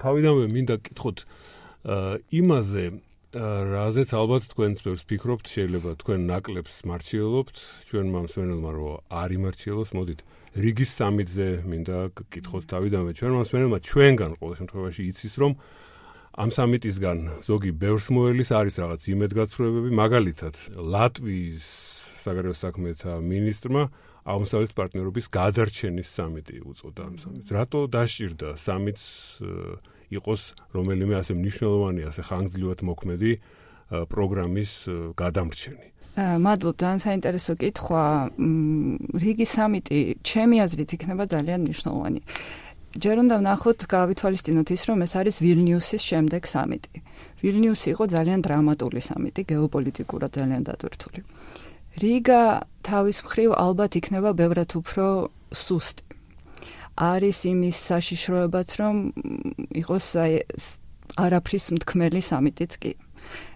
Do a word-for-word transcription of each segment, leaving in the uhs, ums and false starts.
თავიდანვე მინდა გკითხოთ იმაზე, რაზეც ალბათ თქვენც ბევრს ფიქრობთ, შეიძლება თქვენ ნაკლებს მარჩიელობთ, ჩვენმა მსმენელმა რომ არ იმარჩიელოს, მოდით რიგის სამიტზე მინდა გკითხოთ თავიდანვე ჩვენმა მსმენელმა ჩვენგან ყოველ შემთხვევაში იცის, რომ ამ სამიტისგან ზოგი ბევრს მოელის, არის რაღაც იმედგაცრუებები, მაგალითად ლატვიის საგარეო საქმეთა მინისტრმა აღმოსავლეთ პარტნიორობის გადარჩენის სამიტი უწოდა ამ სამიტს. რატო დასჭირდა სამიტს იყოს რომელიმე ასე მნიშვნელოვანი, ასე ხანგრძლივად მოქმედი პროგრამის გადამრჩენი? მადლობ, ძალიან საინტერესო კითხვა. რიგი სამიტი ჩემი აზრით იქნება ძალიან მნიშვნელოვანი. ჯერ უნდა ვნახოთ, გავითვალისწინოთ ის, რომ ეს არის ვილნიუსის შემდეგ სამიტი. ვილნიუსი იყო ძალიან დრამატული სამიტი, გეოპოლიტიკურად ძალიან დატვირთული. რიგა თავის მხრივ ალბათ იქნება ბევრად უფრო სუსტი. არის იმის საშიშროებაც, რომ იყოს არაფრის მთქმელი სამიტიც კი.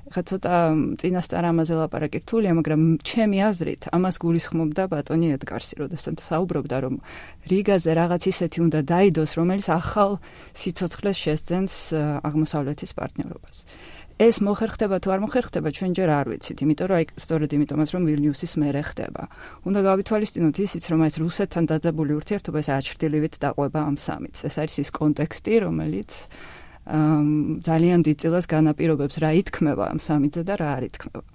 ხა ცოტა წინასწარ ამაზე ლაპარაკი რთულია, მაგრამ ჩემი აზრით ამას გულისხმობდა ბატონი ედგარსი, როდესაც საუბრობდა, რომ რიგაზე რაღაც ისეთი უნდა დაიდოს, რომელიც ახალ სიცოცხლეს შესძენს აღმოსავლეთის პარტნიორობას. ეს მოხერხდება თუ არ მოხერხდება, ჩვენ ჯერ არ ვიცით, იმიტომ რომ აი სწორედ იმიტომაც რომ ვილნიუსის მერე ხდება. უნდა გავითვალისწინოთ ისიც, რომ ეს რუსეთთან დაძაბული ურთიერთობა ეს აჩრდილივით დაყვება ამ სამიტს. ეს არის ის კონტექსტი, რომელიც ძალიან დიდ წილას განაპირობებს რა ითქმება ამ სამიტზე და რა არ ითქმება.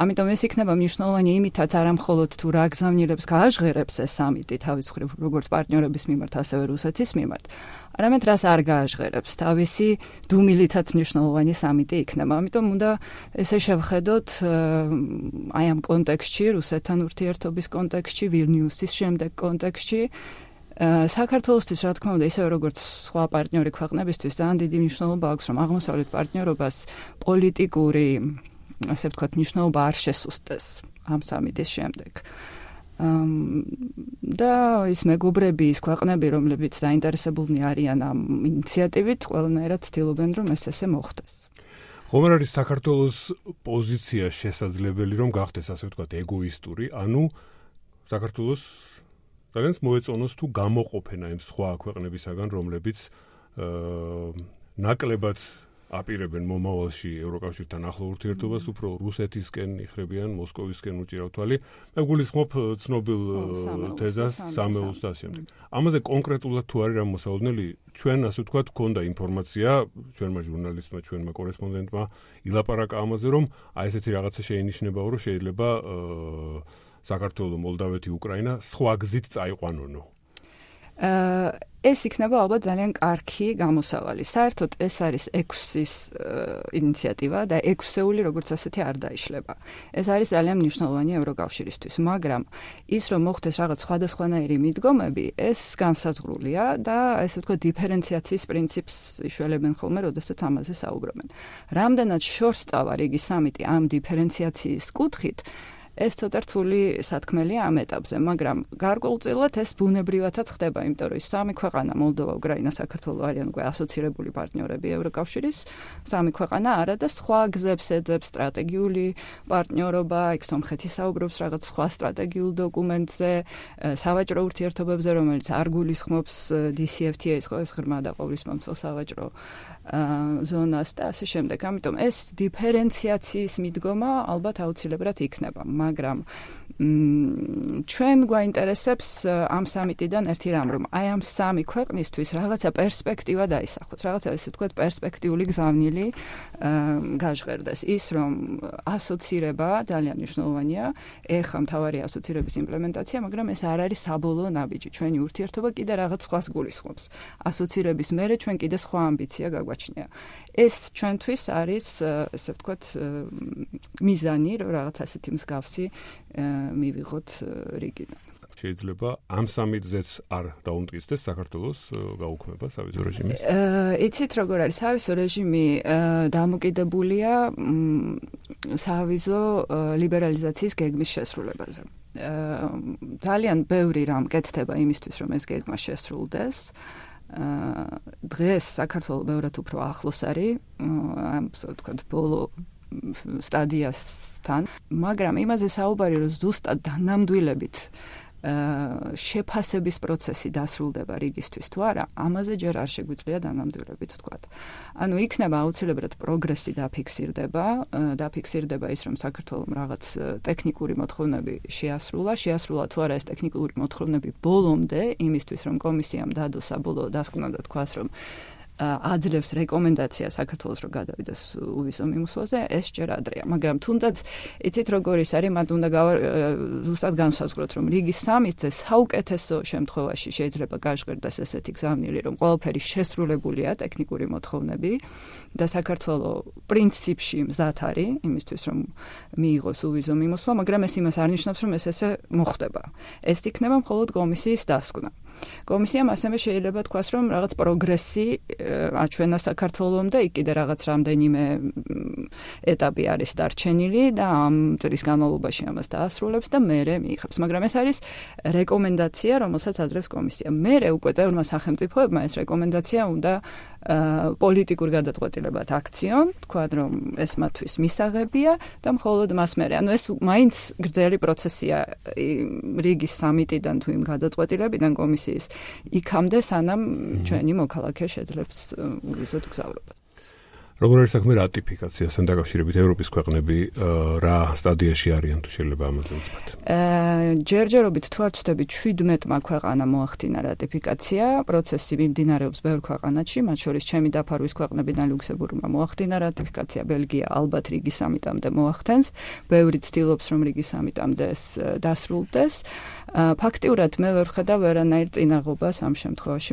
ამიტომ ეს იქნება მნიშვნელოვანი იმითაც არა მხოლოდ თუ რა გზავნილებს გააჟღერებს ეს სამიტი თავის მხრივ როგორც პარტნიორების მიმართ, ასევე რუსეთის მიმართ, არამედ რას არ გააჟღერებს, თავისი დუმილითაც მნიშვნელოვანი სამიტი იქნება. ამიტომ უნდა ესე შევხედოთ აი ამ კონტექსტში, რუსეთთან ურთიერთობის კონტექსტში, ვილნიუსის შემდეგ კონტექსტში, საქართველოსთვის, რა თქმა უნდა, ისევე როგორც სხვა პარტნიორი ქვეყნებისთვის, ძალიან დიდი მნიშვნელობა აქვს, რომ აღმოსავლეთ პარტნიორობას პოლიტიკური, ასე ვთქვათ, მნიშვნელობა არ შესუსტეს ამ სამიტის შემდეგ. და ის მეგობრები, ის ქვეყნები, რომლებიც დაინტერესებულნი არიან ამ ინიციატივით, ყველანაირად ცდილობენ, რომ ეს ესე მოხდეს. ხომ არ არის საქართველოს პოზიცია შესაძლებელი, რომ გახდეს, ასე ვთქვათ, ეგოისტური, ანუ საქართველოს ძალიან მოეწონოს თუ გამოყოფენა იმ სხვა ქვეყნებისაგან, რომლებიც ნაკლებად აპირებენ მომავალში ევროკავშირთან ახლო ურთიერთობას, უფრო რუსეთისკენ იხრებიან, მოსკოვისკენ უჭირავთ თვალი. მე გულისხმობ ცნობილ თეზას, სამეულს და შემდეგ. ამაზე კონკრეტულად თუ არის რამ მოსაოდნელი, ჩვენ ასე ვთქვათ, გქონდა ინფორმაცია, ჩვენმა ჟურნალისტმა, ჩვენმა კორესპონდენტმა ილაპარაკა ამაზე, რომ აი ესეთი რაღაცა შეინიშნებაო, რომ შეიძლება საქართველო, მოლდავეთი, უკრაინა სხვა გზით წაიყვანონო. ეს იქნება ალბათ ძალიან კარგი გამოსავალი. საერთოდ ეს არის ექვსის ინიციატივა და ექვსეული როგორც ასეთი არ დაიშლება. ეს არის ძალიან მნიშვნელოვანი ევროკავშირისთვის, მაგრამ ის რომ მოხდეს რაღაც სხვადასხვანაირი მიდგომები, ეს განსაზღვრულია და ესე ვთქვათ დიფერენციაციის პრინციპს იშველებენ ხოლმე, როდესაც ამაზე საუბრობენ. რამდენად შორს წავა რიგი სამიტი ამ დიფერენციაციის კუთხით, ეს ცოტა რთული სათქმელია ამ ეტაპზე, მაგრამ გარკვეულწილად ეს ბუნებრივადაც ხდება, იმიტომ რომ ის სამი ქვეყანა, მოლდოვა, უკრაინა, საქართველო არიან უკვე ასოცირებული პარტნიორები ევროკავშირის, სამი ქვეყანა არა და სხვა გზებს ეძებს სტრატეგიული პარტნიორობა, იქ სომხეთი საუბრობს რაღაც სხვა სტრატეგიულ დოკუმენტზე, სავაჭრო ურთიერთობებზე, რომელიც არ გულისხმობს დი სი ეფ თი ეის ხო ეს ღრმა და ყოვლისმომცველ სავაჭრო ზონას და ასე შემდეგ. ამიტომ ეს დიფერენციაციის მიდგომა ალბათ აუცილებლად იქნება. მაგრამ ჩვენ გვაინტერესებს ამ სამიტიდან ერთი რამ, რომ აი ამ სამი ქვეყნისთვის რაღაცა პერსპექტივა დაისახოს, რაღაცა ესე ვთქვათ პერსპექტიული გზავნილი გაჟღერდეს. ის რომ ასოცირება ძალიან მნიშვნელოვანია, ეხლა მთავარი ასოცირების იმპლემენტაცია, მაგრამ ეს არ არის საბოლოო ნაბიჯი. ჩვენი ურთიერთობა კიდე რაღაც სხვას გულისხმობს. ასოცირების მერე ჩვენ კიდე სხვა ამბიცია გაგვაჩნია. ეს ჩვენთვის არის, ესე ვთქვათ, მიზანი, რომ რაღაც ასეთი მსგავსი მივიღოთ რიგიდან. შეიძლება ამ სამიტზეც არ დაუმტკიცდეს საქართველოს გაუქმება სავიზო რეჟიმის? იცით როგორ არის, სავიზო რეჟიმი დამოკიდებულია სავიზო ლიბერალიზაციის გეგმის შესრულებაზე. ძალიან ბევრი რამ კეთდება იმისთვის, რომ ეს გეგმა შესრულდეს. დღეს საქართველო ბევრად უფრო ახლოს არის ამ ვთქვათ ბოლო სტადიასთან, მაგრამ იმაზე საუბარი, რომ ზუსტად დანამდვილებით შეფასების პროცესი დასრულდება რიგისთვის თუ არა, ამაზე ჯერ არ შეგვიძლია დანამდვილებით ვთქვათ. ანუ იქნება აუცილებლად პროგრესი დაფიქსირდება, დაფიქსირდება ის, რომ საქართველოს რაღაც ტექნიკური მოთხოვნები შეასრულა, შეასრულა თუ არა ეს ტექნიკური მოთხოვნები ბოლომდე, იმისთვის რომ კომისიამ დადოს საბოლოო დასკვნა და თქვას, რომ აძლევს რეკომენდაცია საქართველოს რომ გადავიდეს უვიზო მიმოსვლაზე, ეს ჯერ ადრეა. მაგრამ თუნდაც იცით როგორ ის არის, მათ უნდა ზუსტად განსაზღვროთ, რომ რიგი სამზე საუკეთესო შემთხვევაში შეიძლება გაჟღერდეს ესეთი გზავნილი, რომ ყველაფერი შესრულებულია ტექნიკური მოთხოვნები და საქართველოს პრინციპში მზად არის იმისთვის, რომ მიიღოს უვიზო მიმოსვლა, მაგრამ ეს იმას არ ნიშნავს, რომ ეს ესე მოხდება. ეს იქნება მხოლოდ კომისიის დასკვნა. კომისიამ ასევე შეიძლება თქვას, რომ რაღაც პროგრესი აჩვენა საქართველოს და იქ კიდე რაღაც რამდენიმე ეტაპი არის დარჩენილი და ამ წლის განმავლობაში ამას დაასრულებს და მერე მიიღებს. მაგრამ ეს არის რეკომენდაცია, რომელსაც აძლევს კომისია. მერე უკვე წევრმა სახელმწიფოებმა ეს რეკომენდაცია უნდა პოლიტიკურ გადაწყვეტილებად აქციონ, თქვა რომ ეს მათთვის მისაღებია და მხოლოდ მას მერე. ანუ ეს მაინც გრძელი პროცესია რიგის სამიტიდან თუ იმ გადაწყვეტილებიდან კომისიის იქამდე, სანამ ჩვენი მოქალაქე შეძლებს უვიზოდ გზავრობას. როგორ არის საქმე რატიფიკაციასთან დაკავშირებით ევროპის ქვეყნები რა სტადიაში არიან თუ შეიძლება ამაზე ვთქვათ? ჯერჯერობით თუ არ ვცდები შვიდმეტმა ქვეყანა მოახდინა რატიფიკაცია, პროცესი მიმდინარეობს ბევრ ქვეყანაში, მათ შორის ჩემი დაფარვის ქვეყნებიდან ლუქსემბურგმა მოახდინა რატიფიკაცია, ბელგია ალბათ რიგის სამიტამდე მოახდენს, ბევრი ცდილობს რომ რიგის სამიტამდე ეს დასრულდეს. ფაქტიურად მე ვერ ვხედავ ვერანაირ წინაღობას ამ შემთხვევაში.